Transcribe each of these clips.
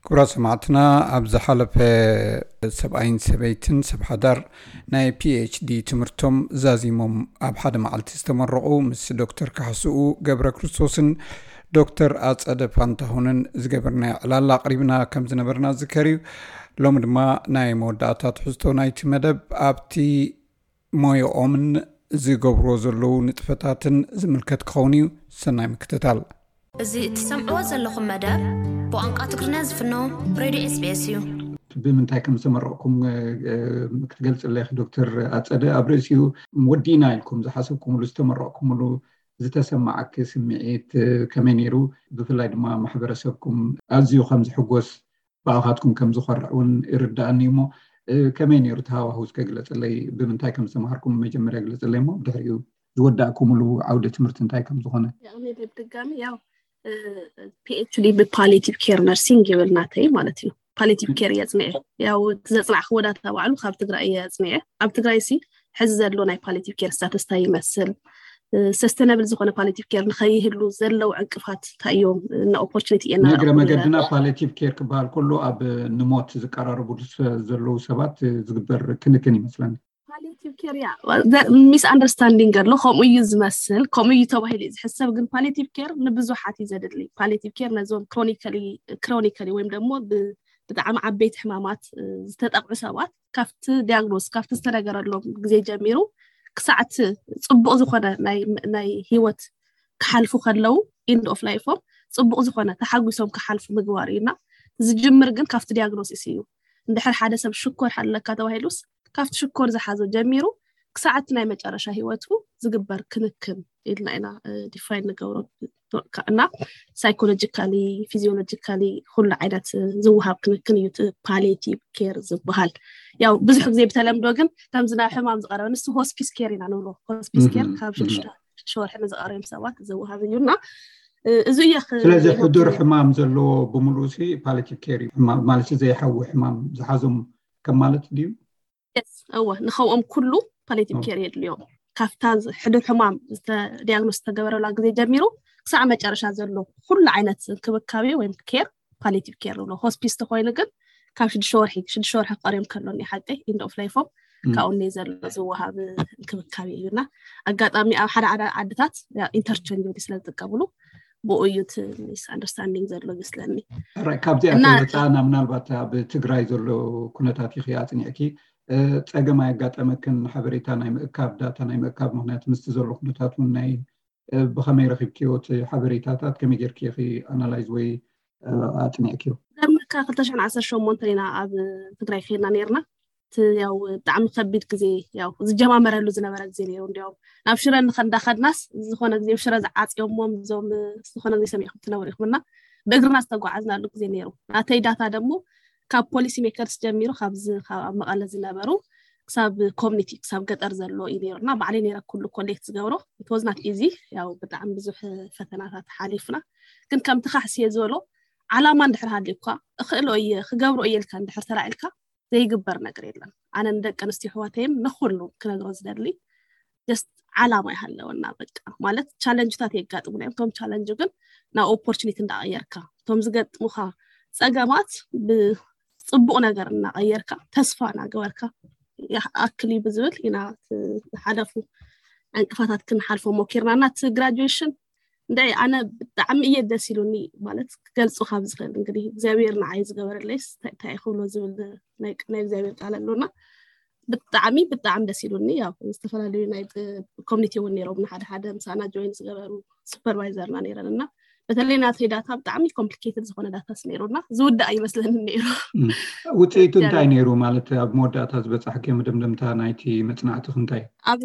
ክቡራት ሰማዕትና፣ ኣብ ዝሓለፈ ሰብኣይን ሰበይትን ሰብ ሓዳር ናይ ፒኤችዲ ትምህርቶም ዛዚሞም ኣብ ሓደ መዓልቲ ዝተመረቑ ምስ ዶክተር ካሕስኡ ገብረ ክርስቶስን ዶክተር ኣጸደ ፋንታሁንን ዝገበርናዮ ዕላል ኣቕሪብና ከም ዝነበርና ዝከር እዩ። ሎሚ ድማ ናይ መወዳእታ ትሕዝቶ ናይቲ መደብ ኣብቲ ሞያኦምን ዝገብርዎ ዘለዉ ንጥፈታትን ዝምልከት ክኸውን እዩ። ሰናይ ምክትታል። እዚ እትሰምዕዎ ዘለኹም መደብ ብቋንቋ ትግርኛ ዝፍኖ ሬድዮ ኤስቢኤስ እዩ። ብምንታይ ከም ዝተመረቕኩም ክትገልጽለይ ዶክተር ኣጸደ፣ ኣብ ርእሲኡ ወዲና ኢልኩም ዝሓሰብኩምሉ ዝተመረቕኩምሉ ዝተሰማዓኪ ስምዒት ከመይ ነይሩ? ብፍላይ ድማ ማሕበረሰብኩም ኣዝዩ ከም ዝሕጎስ ብኣኻትኩም ከም ዝኾርዕ እውን ይርዳእኒ እሞ፣ ከመይ ነይሩ ተሃዋህው እስከ ግለጽለይ? ብምንታይ ከም ዝተምሃርኩም መጀመርያ ግለጽለይ እሞ፣ ብድሕሪኡ ዝወዳእኩምሉ ዓውደ ትምህርቲ እንታይ ከም ዝኾነ። ያው እኔ ብድጋሚ ያው ፒኤችዲ ብፓሊቲቭ ኬር ነርሲንግ ይብል ናተይ ማለት እዩ። ፓሊቲቭ ኬር እየ ኣጽኒዐ። ያው እቲ ዘጽናዕክዎ ዳታ ባዕሉ ካብ ትግራይ እየ ኣጽኒዐ። ኣብ ትግራይ ሲ ሕዚ ዘሎ ናይ ፓሊቲቭ ኬር ስታተስ እንታይ ይመስል፣ ሰስተነብል ዝኾነ ፓሊቲቭ ኬር ንኸይህሉ ዘለዉ ዕንቅፋት እንታይ እዮም? እና ኦፖርቹኒቲ እየና ንእግረ ረኣኹ መገድና ይላል። ፓሊቲቭ ኬር ክበሃል ከሎ ኣብ ንሞት ዝቀራረቡ ስ- ዘለዉ ሰባት ዝግበር ክንክን ይመስለኒ። ፓሊቲቭ ኬር ያ ሚስ ኣንደርስታንዲንግ ኣሎ። ከምኡ እዩ ዝመስል፣ ከምኡ እዩ ተባሂሉ እዩ ዝሕሰብ። ግን ፓሊቲቭ ኬር ንብዙሓት እዩ ዘድሊ። ፓሊቲቭ ኬር ነዞም ክሮኒካሊ ክሮኒካሊ ወይም ደግሞ ብ- ብጣዕሚ ዓበይቲ ሕማማት ዝተጠቕዑ ሰባት ካብቲ ዲያግኖስ ካብቲ ዝተነገረሎም ግዜ ጀሚሩ ክሳዕ እቲ ጽቡቕ ዝኾነ ናይ ናይ ህይወት ክሓልፉ ከለዉ ኢንድ ኦፍ ላይፎም ጽቡቕ ዝኾነ ተሓጒሶም ክሓልፉ ምግባር እዩና። ዝጅምር ግን ካብቲ ዲያግኖሲስ እዩ። እንድሕር ሓደ ሰብ ሽኮር ኣለካ ተባሂሉስ ካብቲ ሽኮር ዝሓዞ ጀሚሩ ክሳዕ እቲ ናይ መጨረሻ ህይወቱ ዝግበር ክንክን ኢልና ኢና ዲፋይን ንገብሮ። እና ሳይኮሎጂካሊ ፊዚዮሎጂካሊ ኩሉ ዓይነት ዝወሃብ ክንክን እዩ እቲ ፓሊቲቭ ኬር ዝበሃል። ያው ብዙሕ ግዜ ብተለምዶ ግን ከምዚ ናብ ሕማም ዝቐረበ ንሱ ሆስፒስ ኬር ኢና ንብሎ። ሆስፒስ ኬር ካብ ሽዱሽተ ወርሒ ንዝቐረዮም ሰባት ዝወሃብ እዩ እና እዚ እየ ስለዚ ሕዱር ሕማም ዘለዎ ብምሉእ ሲ ፓሊቲቭ ኬር እዩ። ማለት ዘይሓዊ ሕማም ዝሓዞም ከም ማለት ድዩ? እወ ንኸምኦም ኩሉ ፓሊቲቭ ኬር የድልዮም። ካብታ ሕዱር ሕማም ዲያግኖስ ዝተገበረላ ግዜ ጀሚሩ ክሳዕ መጨረሻ ዘሎ ኩሉ ዓይነት እንክብካቤ ወይም ኬር ፓሊቲቭ ኬር ንብሎ። ሆስፒስ ተኮይኑ ግን ካብ ሽዱሽተ ወርሒ ሽዱሽተ ወርሒ ክቐርዮም ከሎ ኒ ሓቂ ኢንድ ኦፍ ላይፎም ካብኡ ኒ ዘሎ ዝወሃብ እንክብካቤ እዩና ኣጋጣሚ ኣብ ሓደ ሓደ ዓድታት ኢንተርቸንጅ ስለ ዝጥቀምሉ ብኡ እዩ እቲ ሚስ ኣንደርስታንዲንግ ዘሎ ይመስለኒ። ካብዚኣ እና- ከይወፃእና ምናልባት ኣብ ትግራይ ዘሎ ኩነታት ኢኺ ኣፅኒዕኪ ፀገም ኣየጋጠመክን ሓበሬታ ናይ ምእካብ ዳታ ናይ ምእካብ ምክንያት ምስቲ ዘሎ ኩነታት እውን ናይ ብኸመይ ረኪብክዮ እቲ ሓበሬታታት ከመይ ጌርኪ ኢኺ ኣናላይዝ ወይ ኣፅኒዕክዮ? ደምካ ክልተ ሽሕን ዓሰርተ ሸሞንተን ኢና ኣብ ትግራይ ከይድና ነይርና። እቲ ያው ብጣዕሚ ከቢድ ግዜ ያው ዝጀማመረሉ ዝነበረ ግዜ ነይሩ። እንዲያውም ናብ ሽረ እንኸ- እንዳኸድናስ ዝኾነ ግዜ ሽረ ዝዓፅዮሞም እዞም ዝኾነ ግዜ ሰሚዕኩም ትነብሩ ኢኹም እና ብእግርና ዝተጓዓዝናሉ ግዜ ነይሩ። ናተይ ዳታ ደግሞ ካብ ፖሊሲ ሜከርስ ጀሚሩ ካብዚ ካብ ኣብ መቐለ ዝነበሩ ክሳብ ኮሚኒቲ ክሳብ ገጠር ዘሎ እዩ ነይሩ እና ባዕለይ ነይረ ኩሉ ኮሌክት ዝገብሮ። ኢት ዋዝ ናት ኢዚ ያው ብጣዕሚ ብዙሕ ፈተናታት ሓሊፍና ግን ከምቲ ካሕስየ ዝበሎ ዓላማ እንድሕር ሃልዩካ እኽእሎ እየ ክገብሮ እየ ኢልካ እንድሕር ተላዒልካ ዘይግበር ነገር የለን። ኣነ ንደቂ ኣንስትዮ ኣሕዋተይን ንኩሉ ክነግሮ ዝደሊ just ዓላማ ይሃለወና በቃ ማለት ቻለንጅታት የጋጥሙና እዮም። እቶም ቻለንጅ ግን ናብ ኦፖርቹኒቲ እንዳቀየርካ እቶም ዝገጥሙካ ፀገማት ብፅቡቅ ነገር እናቀየርካ ተስፋ እናገበርካ ይኣክል እዩ ብዝብል ኢና ዝሓለፉ ዕንቅፋታት ክንሓልፎ ሞኪርና እና እቲ ግራጁዌሽን እንደ ኣነ ብጣዕሚ እየ ደስ ኢሉኒ ማለት ክገልፁ ካብ ዝኽእል እንግዲህ እግዚኣብሔር ንዓይ ዝገበረለይስ እንታይ እንታይ ክብሎ ዝብል ናይ ናይ እግዚኣብሔር ቃል ኣሎና ብጣዕሚ ብጣዕሚ ደስ ኢሉኒ ያው ዝተፈላለዩ ናይ ኮሚኒቲ እውን ነይሮም ሓደ ሓደ ምሳና ጆይን ዝገበሩ ሱፐርቫይዘርና ነይረን እና በተለይ ናተይ ዳታ ብጣዕሚ ኮምፕሊኬትድ ዝኾነ ዳታስ ነይሩና ዝውዳእ ኣይመስለንን ነይሩ ውፅኢቱ እንታይ ነይሩ ማለት ኣብ መወዳእታ ዝበፃሕክዮ መደምደምታ ናይቲ መፅናዕትኽ እንታይ ኣብ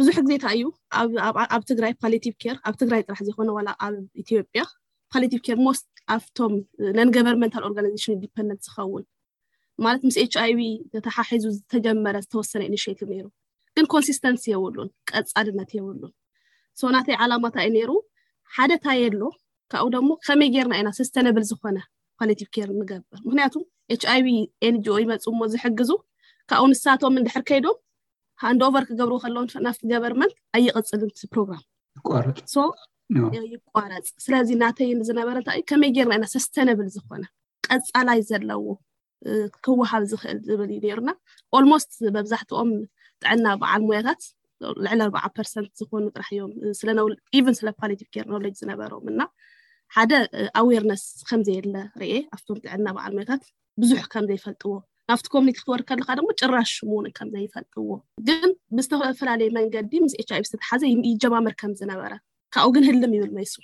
ብዙሕ ግዜ እንታይ እዩ ኣብ ትግራይ ፓሊቲቭ ኬር ኣብ ትግራይ ጥራሕ ዘይኮነ ዋላ ኣብ ኢትዮጵያ ፓሊቲቭ ኬር ሞስት ኣብቶም ነን ገቨርንመንታል ኦርጋናይዜሽን ኢንዲፐንደንት ዝኸውን ማለት ምስ ኤች ኣይቪ ተተሓሒዙ ዝተጀመረ ዝተወሰነ ኢኒሽቲቭ ነይሩ ግን ኮንሲስተንሲ የብሉን ቀፃልነት የብሉን ሶ ናተይ ዓላማታ እዩ ነይሩ ሓደ ታይ የሎ ካብኡ ደግሞ ከመይ ጌርና ኢና ሰስተነብል ዝኾነ ፓሊቲቭ ኬር ንገብር ምክንያቱ ኤች ኣይቪ ኤንጂኦ ይመፁ እሞ ዝሕግዙ ካብኡ ንሳቶም እንድሕር ከይዶም ሃንድ ኦቨር ክገብሩ ከለውን ናፍቲ ገቨርንመንት ኣይቕፅልን እቲ ፕሮግራም ይቋረፅ ሶ ይቋረፅ ስለዚ ናተይ ዝነበረ እንታይ እዩ ከመይ ጌርና ኢና ሰስተነብል ዝኾነ ቀፃላይ ዘለዎ ክወሃብ ዝኽእል ዝብል እዩ ነይሩና። Almost መብዛሕትኦም ጥዕና በዓል ሞያታት ልዕሊ ኣርባዓ ፐርሰንት ዝኾኑ ጥራሕ እዮም ስለ even ስለ palliative care knowledge ዝነበሮም እና ሓደ awareness ከም ዘየለ ርኤ ኣብቶም ጥዕና በዓል ሞያታት ብዙሕ ከም ዘይፈልጥዎ ናብቲ community ክትወርድ ከለካ ደግሞ ጭራሽ ምውን ከም ዘይፈልጥዎ ግን ብዝተፈላለየ መንገዲ ምስ ኤች ኣይቪ ዝተተሓዘ ይጀማመር ከም ዝነበረ ካብኡ ግን ህልም ይብል መይሱ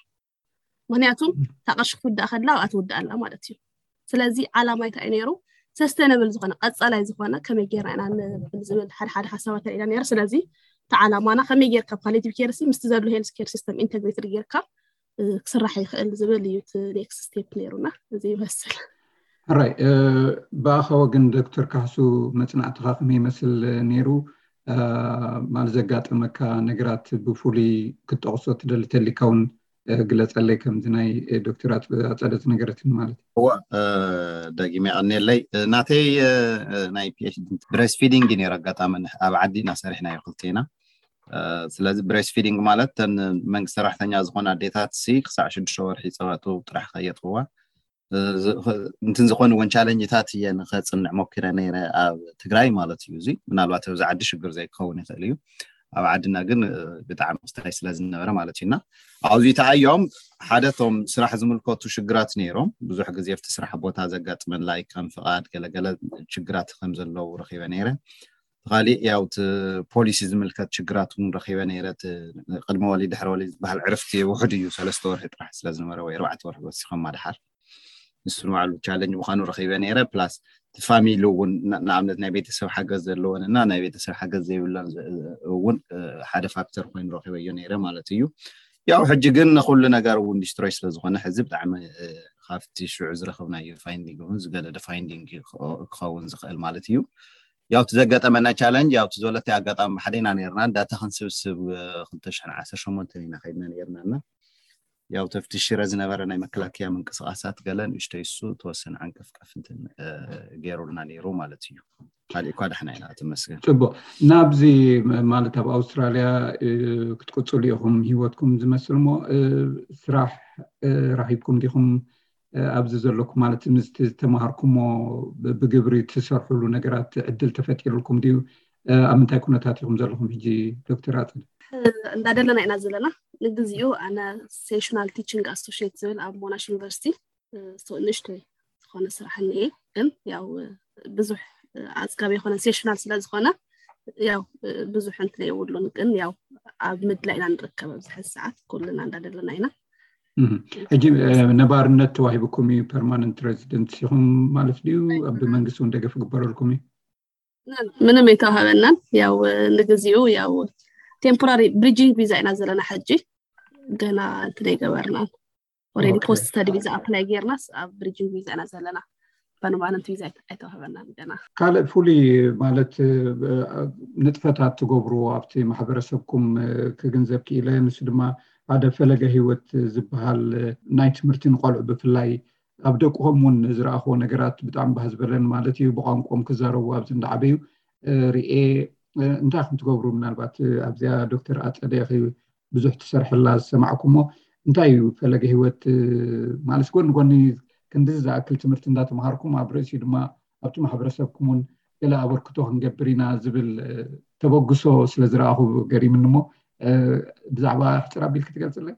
ምክንያቱም እታ ቅርሺ ክትውዳእ ከላ ኣብኣ ትውዳእ ኣላ ማለት እዩ ስለዚ ዓላማ እንታይ ነይሩ sustainable ዝኾነ ቀፃላይ ዝኾነ ከመይ ጌርና ኢና ንብል ዝብል ሓደ ሓደ ሓሳባት ኢና ነይሩ ስለዚ እቲ ዓላማና ከመይ ጌርካ palliative care ሲ ምስቲ ዘሎ health care system integrated ጌርካ ክስራሕ ይኽእል ዝብል እዩ እቲ next step ነይሩና እዚ ይመስል ሕራይ ብኣኻ ወገን ዶክተር ካሕሱ መፅናዕትኻ ከመይ ይመስል ነይሩ ማለት ዘጋጠመካ ነገራት ብፍሉይ ክትጠቕሶ ትደሊ ተሊካ እውን ግለፀለይ ከምዚ ናይ ዶክተር ኣፀደ ዝነገረትኒ ማለት እዋ ደጊመ የቐንየለይ ናተይ ናይ PhD breastfeeding እዩ ነይሩ ኣጋጣሚ ኣብ ዓዲ ኢና ሰሪሕናዮ ክልቴና ስለዚ breastfeeding ማለት ተን መንግስቲ ሰራሕተኛ ዝኾነ ኣዴታት ሲ ክሳዕ ሽዱሽተ ወርሒ ፀባቱ ጥራሕ ከየጥዋ እንትን ዝኾኑ እውን ቻለንጅታት እየ ንኸፅንዕ ሞኪረ ነይረ ኣብ ትግራይ ማለት እዩ እዚ ምናልባት ኣብዚ ዓዲ ሽግር ዘይክኸውን ይኽእል እዩ ኣብ ዓድና ግን ብጣዕሚ ክስታይ ስለ ዝነበረ ማለት እዩና ኣብዚ ተኣዮም ሓደ ቶም ስራሕ ዝምልከቱ ሽግራት ነይሮም ብዙሕ ግዜ ኣብቲ ስራሕ ቦታ ዘጋጥመን ላይ ከም ፍቓድ ገለገለ ሽግራት ከም ዘለዉ ረኪበ ነይረ ካሊእ ያው እቲ ፖሊሲ ዝምልከት ሽግራት እውን ረኪበ ነይረ ቅድሚ ወሊድ ድሕሪ ወሊድ ዝበሃል ዕርፍቲ ውሕድ እዩ ሰለስተ ወርሒ ጥራሕ ስለ ዝነበረ ወይ ኣርባዕተ ወርሒ ወሲኾም ኣድሓር ንሱ ንባዕሉ ቻለንጅ ምዃኑ ረኺበ ነይረ ፕላስ እቲ ፋሚሊ እውን ንኣብነት ናይ ቤተሰብ ሓገዝ ዘለወን እና ናይ ቤተሰብ ሓገዝ ዘይብለን እውን ሓደ ፋክተር ኮይኑ ረኺበዮ ነይረ ማለት እዩ ያው ሕጂ ግን ንኩሉ ነገር እውን ዲስትሮይ ስለ ዝኾነ ሕዚ ብጣዕሚ ካብቲ ሽዑ ዝረኸብናዮ ፋይንዲንግ እውን ዝገለደ ፋይንዲንግ ክኸውን ዝኽእል ማለት እዩ ያው እቲ ዘጋጠመና ቻለንጅ ያው እቲ ዝበለቲ ኣጋጣሚ ሓደ ኢና ነርና ዳታ ክንስብስብ ክልተ ሽሕን ዓሰርተ ሸሞንተን ኢና ከይድና ነርና እና ያው ተፍቲ ሽረ ዝነበረ ናይ መከላከያ ምንቅስቃሳት ገለ ንእሽተይ እሱ ተወሰነ ዓንቀፍቀፍ እንትን ገይሩልና ነይሩ ማለት እዩ ካሊእ እኳ ዳሕና ኢና ተመስገን ጽቡቅ ናብዚ ማለት ኣብ ኣውስትራልያ ክትቅፅሉ ኢኹም ህይወትኩም ዝመስል ሞ ስራሕ ራኺብኩም ዲኹም ኣብዚ ዘለኩም ማለት ምስቲ ዝተምሃርኩሞ ብግብሪ ትሰርሕሉ ነገራት ዕድል ተፈጢሩልኩም ድዩ ኣብ ምንታይ ኩነታት ኢኹም ዘለኹም ሕጂ ዶክተር ኣፅል እንዳደለና ኢና ዘለና ንግዚኡ ኣነ sessional teaching associate ዝብል ኣብ ሞናሽ ዩኒቨርሲቲ ንእሽተይ ዝኾነ ስራሕ እኒኤ ግን ያው ብዙሕ ኣፅጋቢ የኮነ sessional ስለ ዝኾነ ያው ብዙሕ እንትን የብሉን ግን ያው ኣብ ምድላ ኢና ንርከብ ኣብዚ ሕዚ ሰዓት ኩልና እንዳደለና ኢና ሕጂ ነባርነት ተዋሂብኩም እዩ permanent resident ኢኹም ማለት ድዩ ብመንግስቲ እውን ደገፍ ግበረልኩም እዩ ምንም የተዋሃበናን ያው ንግዚኡ ያው temporary bridging visa ኢና ዘለና ሕጂ ገና እንትን ኣይገበርናን already post study visa apply ጌርናስ ኣብ bridging visa ኢና ዘለና permanent visa ኣይተዋህበናን ገና ካልእ ፍሉይ ማለት ንጥፈታት ትገብርዎ ኣብቲ ማሕበረሰብኩም ክግንዘብ ክኢለ ንሱ ድማ ሓደ ፈለገ ህይወት ዝበሃል ናይ ትምህርቲ ንቆልዑ ብፍላይ ኣብ ደቅኹም እውን ዝረኣኽዎ ነገራት ብጣዕሚ ባህ ዝበለን ማለት እዩ ብቋንቋም ክዛረቡ ኣብዚ እንዳዓበዩ ርኤ እንታይ ከም ትገብሩ ምናልባት ኣብዚኣ ዶክተር ኣፀደ ብዙሕ ትሰርሕላ ዝሰማዕኩሞ እንታይ እዩ ፈለገ ህይወት ማለት ጎኒ ጎኒ ክንዲ ዝኣክል ትምህርቲ እንዳተምሃርኩም ኣብ ርእሲኡ ድማ ኣብቲ ማሕበረሰብኩም እውን ገለ ኣበርክቶ ክንገብር ኢና ዝብል ተበግሶ ስለ ዝረኣኹ ገሪምኒ እሞ ብዛዕባ ሕፅር ኣቢል ክትገልፅለይ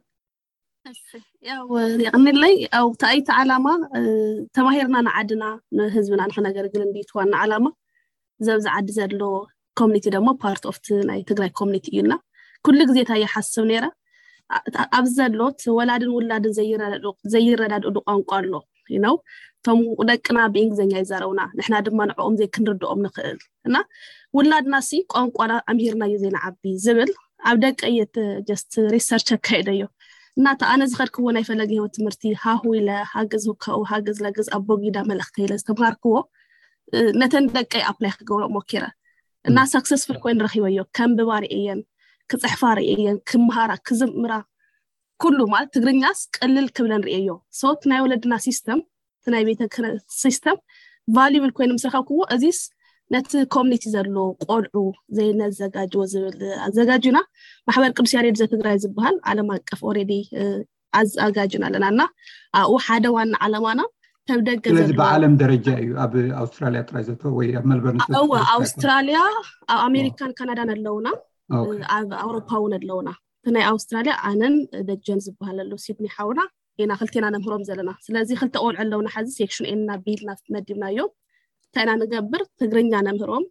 ያው የቕንለይ ያው እቲ ዓላማ ተማሂርና ንዓድና ንህዝብና ንክነገርግል እንዲት ዋና ዓላማ ዘብዚ ዓዲ ዘሎ community ደግሞ part of ናይ ትግራይ community እዩና ኩሉ ግዜ እንታይ ይሓስብ ነይረ ኣብዚ ዘሎ ወላድን ውላድን ዘይረዳድኡ ቋንቋ ኣሎ you know እቶም ደቅና ብእንግሊዝኛ ይዛረቡና ንሕና ድማ ንዕኦም ዘይክንርድኦም ንኽእል እና ውላድና ሲ ቋንቋና ኣምሂርናዮ ዘይንዓቢ ዝብል ኣብ ደቀ እየ just research ኣካይደዮ እና እቲ ኣነ ዝኸድክዎ ናይ ፈለገ ህይወት ትምህርቲ ሃሁ ኢለ ሃግዝ ህካኡ ሃግዝ ለግዝ ኣቦጊዳ መልእኽተ ኢለ ዝተምሃርክዎ ነተን ደቀይ apply ክገብሮ ሞኪረ እና successful ኮይን ረኪበዮ ከንብባ ርእየን ክፅሕፋ ርእየን ክምሃራ ክዝምራ ኩሉ ማለት ትግርኛስ ቅልል ክብለን ርእየዮ so ናይ ወለድና system ናይ ቤተ ክህነት system valuable ኮይኑ ምስ ረኸብክዎ እዚስ ነቲ community ዘሎ ቆልዑ ዘይነዘጋጅዎ ዝብል ኣዘጋጅና ማሕበር ቅዱስ ያሬድ ዘትግራይ ዝበሃል ዓለም ኣቀፍ already ኣዘጋጅና ኣለና እና ኣብኡ ሓደ ዋና ዓላማና ካብ ደገ ስለዚ ዘለዉ ብዓለም ደረጃ እዩ፣ ኣብ ኣውስትራልያ ጥራይ ዘተ ወይ ኣብ መልበርን እወ ኣውስትራልያ፣ ኣብ ኣሜሪካን ካናዳን ኣለውና፣ ኣብ ኣውሮፓ እውን ኣለውና። እቲ ናይ ኣውስትራልያ ኣነን ደጀን ዝበሃል ኣሎ ሲድኒ ሓውና ኢና ክልቴና ነምህሮም ዘለና። ስለዚ ክልተ ቆልዑ ኣለውና፣ ሓዚ ሴክሽን ኤ እና ቢ ኢልና መዲብናዮም። እንታይ ኢና ንገብር? ትግርኛ ነምህሮም፣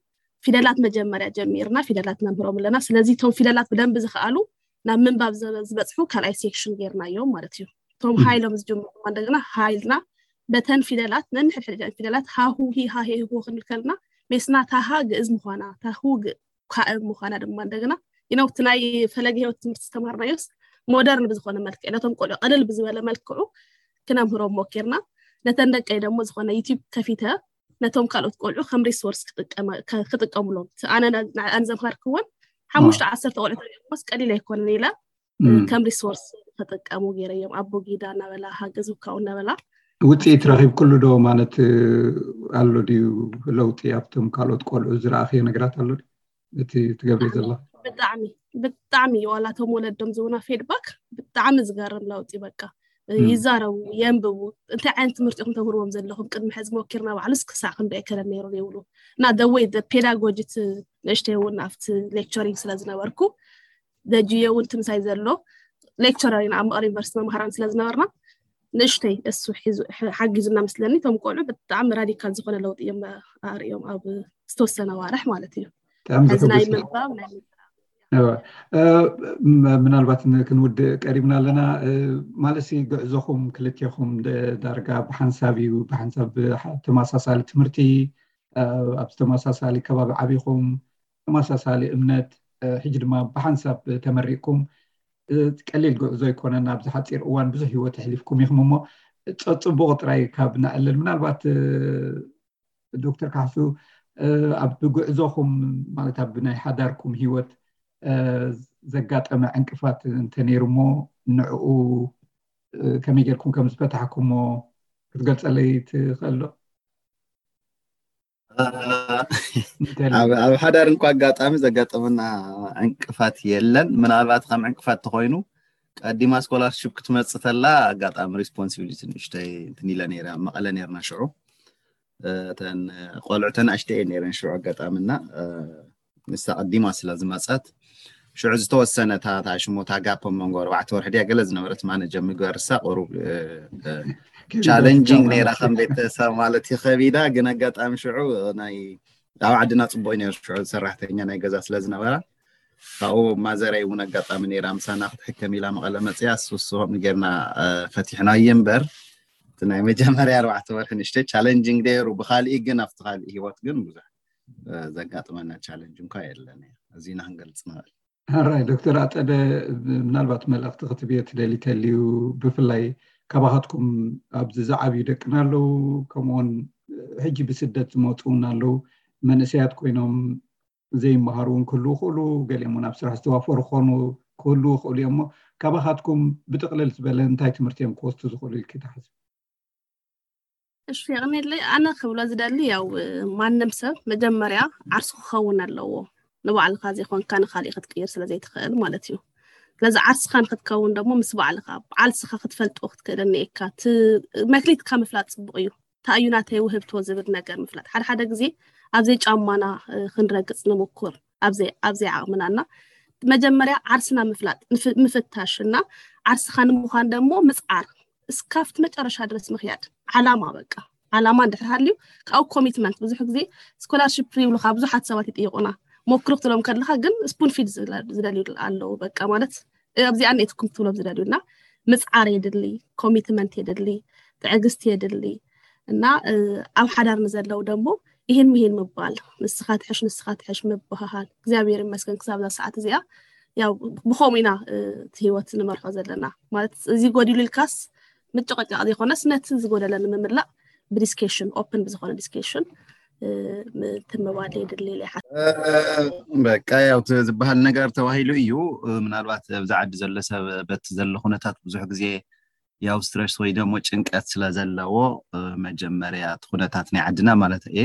ፊደላት መጀመርያ ጀሚርና ፊደላት ነምህሮም ኣለና። ስለዚ እቶም ፊደላት ብደንብ ዝኸኣሉ ናብ ምንባብ ዝበ- ዝበፅሑ ካልኣይ ሴክሽን ጌርናዮም ማለት እዩ። እቶም ሃይሎም ዝጀምሩ ድማ እንደገና ሃይልና በተን ፊደላት ነንሕድሕድ ፊደላት ሃሁ ሂሃ ሄሁ ክንብል ከለና ሜስና ታሃ ግእዝ ምዃና ታሁ ግ- ካእ ምዃና ድማ እንደገና ይነው እቲ ናይ ፈለገ ህይወት ትምህርቲ ዝተማሃርናዮስ ሞደርን ብዝኾነ መልክዕ ነቶም ቆልዑ ቀልል ብዝበለ መልክዑ ክነምህሮም ሞኪርና። ነተን ደቀይ ደግሞ ዝኾነ ዩቲዩብ ከፊተ ነቶም ካልኦት ቆልዑ ከም ሪሶርስ ክጥቀመ- ከ- ክጥቀሙሎም እቲ ኣነ ና- ንዕኣን ዘምሃርክወን ሓሙሽተ ዓሰርተ ቆልዑ ተሪኦምስ ቀሊል ኣይኮነን ኢለ ከም ሪሶርስ ተጠቀሙ ገይረዮም። ኣቦ ጊዳ እናበላ ሃገዝ ውካው እናበላ ውፅኢት ረኺብክሉ ዶ ማለት ኣሎ ድዩ? ለውጢ ኣብቶም ካልኦት ቆልዑ ዝረኣኽዮ ነገራት ኣሎ ድዩ? እቲ ትገብሪ ዘለኺ ብጣዕሚ ብጣዕሚ ዋላቶም ወለዶም ዝቡና ፌድባክ ብጣዕሚ ዝገርም ለውጢ። በቃ ይዛረቡ፣ የንብቡ። እንታይ ዓይነት ትምህርቲ ኢኹም ተምህርዎም ዘለኹም? ቅድሚ ሕዚ ሞኪርና ባዕሉስ ክሳዕ ክንዶ ኣይከለን ነይሩ ይብሉ። እና ደወይ ፔዳጎጂ እቲ ንእሽተይ እውን ኣብቲ ሌክቸሪንግ ስለ ዝነበርኩ ደጅየ እውን ትምሳይ ዘሎ ሌክቸረር ኢና ኣብ መቐለ ዩኒቨርሲቲ መምሃራን ስለ ዝነበርና ንእሽተይ እሱ ሒዙ- ሕ- ሓጊዙና መስለኒ። እቶም ቆልዑ ብጣዕሚ ራዲካል ዝኾነ ለውጢ እዮም ኣርእዮም ኣብ ዝተወሰነ ዋርሕ ማለት እዩ። ብጣዕሚ ሕዚ ናይ ዘሐጉስ እዩ። ምንባብ ናይ እወ። እ፣ ም- ምናልባት ን- ክንውድእ ቀሪብና ኣለና። እ፣ ማለት ሲ ጉዕዞኹም ክልቴኹም ደ- ዳርጋ ብሓንሳብ እዩ፣ ብሓንሳብ ብ- ተመሳሳሊ ትምህርቲ፣ እ፣ ኣብ ተመሳሳሊ ከባቢ ዓቢኹም፣ ተመሳሳሊ እምነት፣ እ፣ ሕጂ ድማ ብሓንሳብ ተመሪቅኩም፣ እ፣ ቀሊል ጉዕዞ ኣይኮነን። ኣብዚ ሓፂር እዋን ብዙሕ ህይወት ኣሕሊፍኩም ኢኹም እሞ፣ ጸጽቡቕ ጥራይ ካብ ንዕልል፣ ምናልባት እ፣ ዶክተር ካሕሱ፣ እ፣ ኣብ ጉዕዞኹም ማለት ኣብ ናይ ሓዳርኩም ህይወት እ፣ ዘጋጠመ ዕንቅፋት እንተነይሩ እሞ ንዕኡ እ፣ ከመይ ጌርኩም ከም ዝፈታሕኩሞ ክትገልጸለይ ትኽእል ዶ? እ፣ እንተልዩ። ኣብ ኣብ ሓዳር እንኳ ኣጋጣሚ ዘጋጠመና ዕንቅፋት የለን። ምናልባት ከም ዕንቅፋት ተኾይኑ ቀዲማ ስኮላርሽፕ ክትመጽእ ተላ ኣጋጣሚ ሪስፖንሲቢሊቲ ንእሽተይ እንትን ኢለ ነይረ። ኣብ መቐለ ነይርና ሽዑ። እ፣ እተን ቆልዑ ተናእሽተይ እየን ነይረን ሽዑ ኣጋጣሚ እና እ፣ ንሳ ቀዲማ ስለ ዝመጸት ሽዑ ዝተወሰነ እታ እታ ሽሞታ ጋፕ ኣብ መንጎ ኣርባዕተ ወርሒ ድያ ገለ ዝነበረት ማነጀር ምግባር እሳ ቁሩብ እ፣ እ፣ ቻለንጂንግ ነይራ ከም ቤተሰብ ማለት እዩ ከቢዳ። ግን ኣጋጣሚ ሽዑ ናይ ኣብ ዓድና ጽቡቅ እዩ ነይሩ ሽዑ ሰራሕተኛ ናይ ገዛ ስለ ዝነበራ ካብኡ ማዘረይ እውን ኣጋጣሚ ነይራ ምሳና ክትሕከም ኢላ መቐለ መፅያ እሱ እሱ ከምኡ ጌርና እ፣ ፈቲሕናዮ እምበር እቲ ናይ መጀመርያ ኣርባዕተ ወርሒ ንእሽተይ ቻለንጂንግ ነይሩ። ብካሊእ ግን ኣብቲ ካሊእ ህይወት ግን ብዙሕ እ፣ ዘጋጥመና ቻለንጅ እንኳ የለን። እዚ ኢና ክንገልፅ ንኽእል። ሕራይ ዶክተር ኣፀደ፣ ምናልባት መልእኽቲ ክትብዮ ትደሊ ተልዩ፣ ብፍላይ ካባኻትኩም ኣብዚ ዝዓብዩ ደቅና ኣለዉ፣ ከምኡውን ሕጂ ብስደት ዝመፁ እውን ኣለዉ። መንእሰያት ኮይኖም ዘይመሃሩ እውን ክህልዉ ይኽእሉ፣ ገሊኦም እውን ኣብ ስራሕ ዝተዋፈሩ ክኾኑ ክህልዉ ይኽእሉ እዮም። እሞ ካባኻትኩም ብጥቕልል ዝበለ እንታይ ትምህርቲ እዮም ክወስዱ ዝኽእሉ ኢልኪ ትሓስቢ? እሺ የቕኔለይ። ኣነ ክብሎ ዝደሊ ያው ማንም ሰብ መጀመርያ ዓርሱ ክኸውን ኣለዎ። ንባዕልኻ ዘይኮንካ ንኻሊእ ክትቅይር ስለ ዘይትኽእል ማለት እዩ። ስለዚ ዓርስኻ ንክትከውን ደግሞ ምስ ባዕልኻ ዓርስኻ ክትፈልጦ ክትክእል እኒኤካ። እቲ መክሊትካ ምፍላጥ ፅቡቕ እዩ። እንታይ እዩ ናተይ ውህብቶ ዝብል ነገር ምፍላጥ። ሓደ ሓደ ግዜ ኣብ ዘይጫማና እ፣ ክንረግፅ ንምኩር ኣብ ዘይ- ኣብ ዘይዓቕምና እና መጀመርያ ዓርስና ምፍላጥ ንፍ- ምፍታሽ እና ዓርስኻ ንምዃን ደግሞ ምፅዓር እስካብቲ መጨረሻ ድረስ ምኽያድ ዓላማ በቃ ዓላማ እንድሕር ሃልዩ ካብኡ ኮሚትመንት ብዙሕ ግዜ ስኮላርሽፕ ይብሉካ ብዙሓት ሰባት ይጥይቁና ሞክሩ ክትሎም ከለካ ግን ስፑን ፊድ ዝደልዩ ኣለዉ በቃ ማለት ኣብዚኣ ኔትኩም ክትብሎም ዝደልዩ እና ምፅዓር የድሊ ኮሚትመንት የድሊ ትዕግስቲ የድሊ እና ኣብ ሓዳር ንዘለዉ ደግሞ ይህን ምሂን ምባል ንስኻ ትሕሽ ንስኻ ትሕሽ ምብሃሃል እግዚኣብሔር ይመስገን ክሳብ እዛ ሰዓት እዚኣ ያው ብኸምኡ ኢና እቲ ህይወት ንመርሖ ዘለና ማለት እዚ ጎዲሉ ኢልካስ ምጭቕጫቕ ዘይኮነስ ነቲ ዝጎደለ ንምምላእ ብዲስኬሽን ኦፕን ብዝኾነ ዲስኬሽን ትምባል የድሊ ኢለ ይሓስብ። በቃ ያው እቲ ዝበሃል ነገር ተባሂሉ እዩ። ምናልባት ኣብዚ ዓዲ ዘሎ ሰብ በቲ ዘሎ ኩነታት ብዙሕ ግዜ ያው ስትረስ ወይ ደግሞ ጭንቀት ስለ ዘለዎ መጀመርያ እቲ ኩነታት ናይ ዓድና ማለት እየ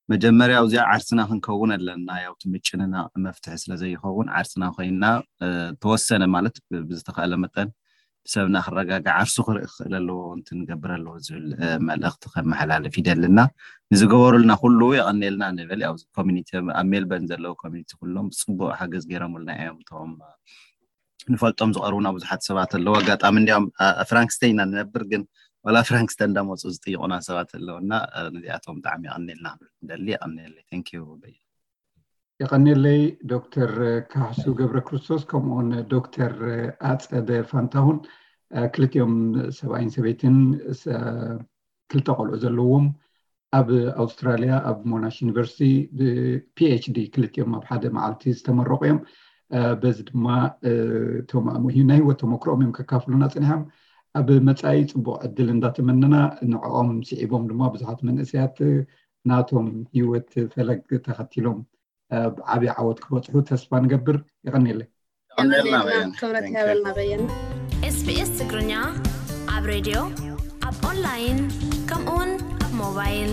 መጀመርያ ኣብዚኣ ዓርስና ክንከውን ኣለና። ያው እቲ ምጭንናቕ መፍትሒ ስለ ዘይኸውን ዓርስና ኮይንና ተወሰነ ማለት ብዝተኻእለ መጠን ሰብና ክረጋጋዕ፣ ዓርሱ ክርኢ ክኽእል ኣለዎ፣ እንትን ክገብር ኣለዎ ዝብል መልእኽቲ ከመሓላልፍ ይደልና። ንዝገበሩልና ኩሉ የቐንየልና ንብል። ያው ኮሚኒቲ ኣብ ሜልበርን ዘለዉ ኮሚኒቲ ኩሎም ብፅቡቅ ሓገዝ ገይሮምልና እዮም። እቶም ንፈልጦም ዝቐርቡና ብዙሓት ሰባት ኣለዉ። ኣጋጣሚ እንዲያውም ፍራንክስተን ኢና ንነብር፣ ግን ዋላ ፍራንክስተን እንዳመፁ ዝጥይቁና ሰባት ኣለዉ እና ነዚኣቶም ብጣዕሚ የቐንየልና ንብል። ደሊ የቐንየለይ። Thank you በየ። የቐንየለይ ዶክተር ካሕሱ ገብረ ክርስቶስ፣ ከምኡውን ዶክተር ኣፀደ ፋንታሁን። ክልቲኦም ሰብኣይን ሰበይትን ክልተ ቆልዑ ዘለዎም፣ ኣብ ኣውስትራሊያ ኣብ ሞናሽ ዩኒቨርሲቲ ብፒኤችዲ ክልቲኦም ኣብ ሓደ መዓልቲ ዝተመረቑ እዮም። በዚ ድማ ናይ ህይወት ተመክሮኦም እዮም ከካፍሉና ፀኒሖም። ኣብ መፃኢ ፅቡቕ ዕድል እንዳተመነና፣ ንዕኦም ስዒቦም ድማ ብዙሓት መንእሰያት ናቶም ህይወት ፈለግ ተኸቲሎም ዓብዪ ዓወት ክበፅሑ ተስፋ ንገብር። የቐንየለይ። ክብረት ያበልና በየነ። ኤስቢኤስ ትግርኛ ኣብ ሬድዮ፣ ኣብ ኦንላይን፣ ከምኡውን ኣብ ሞባይል።